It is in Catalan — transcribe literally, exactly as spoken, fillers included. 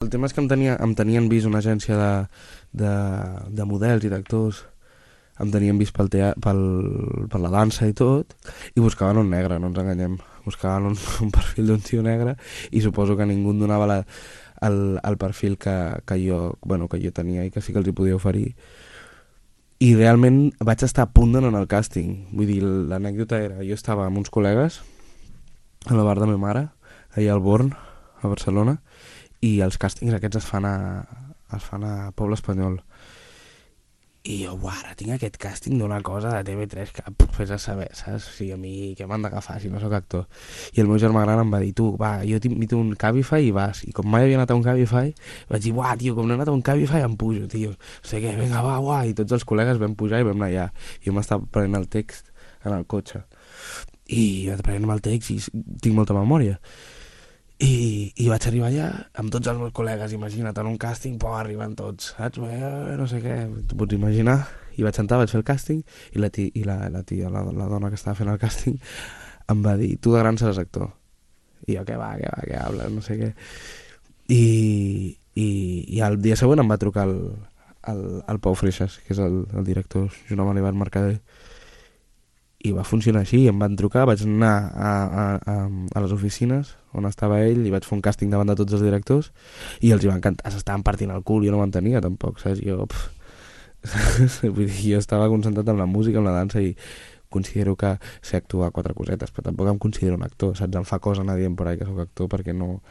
El tema és que em, tenia, em tenien vist una agència de, de, de models i d'actors, em tenien vist pel tea, pel, per la dansa i tot, i buscaven un negre, no ens enganyem. Buscaven un, un perfil d'un tio negre i suposo que ningú em donava la, el, el perfil que, que, jo, bueno, que jo tenia i que sí que els hi podia oferir. I realment vaig estar a punt d'anar al càsting. Vull dir, l'anècdota era, jo estava amb uns col·legues a la bar de ma mare, allà al Born, a Barcelona, i els càstings aquests es fan a, es fan a Poble Espanyol. I jo, buah, ara tinc aquest càsting d'una cosa de T V tres que pff, fes a saber, saps? O sigui, a mi què m'han d'agafar si no sóc actor. I el meu germà gran em va dir, tu, va, jo t'invito a un Cabify i vas. I com mai havia anat a un Cabify, vaig dir, buah, tio, com no he anat a un Cabify em pujo, tio. No sé què, vinga, va, buah. I tots els col·legues vam pujar i vam anar allà. I jo m'estava prenent el text en el cotxe. I jo prenent el text i tinc molta memòria. I, i vaig arribar allà amb tots els meus col·legues, imagina't, en un càsting, pô, arriben tots, saps? Eh, no sé què, t'ho pots imaginar. I vaig entrar, vaig fer el càsting, i la, tia, i la, la tia, la, la dona que estava fent el càsting, em va dir, tu de gran seràs actor. I jo, què va, què va, què hables, no sé què. I, i, i el dia següent em va trucar el, el, el Pau Freixas, que és el, el director, junt amb l'Ivan Mercader, i va funcionar així, em van trucar, vaig anar a, a, a, a les oficines on estava ell i vaig fer un càsting davant de tots els directors i els hi va encantar, s'estaven partint el cul, jo no m'entenia tampoc, saps? Jo, vull dir, jo estava concentrat en la música, en la dansa i considero que sé actuar quatre cosetes, però tampoc em considero un actor, saps? Em fa cosa anar dient per ahí que sóc actor perquè no,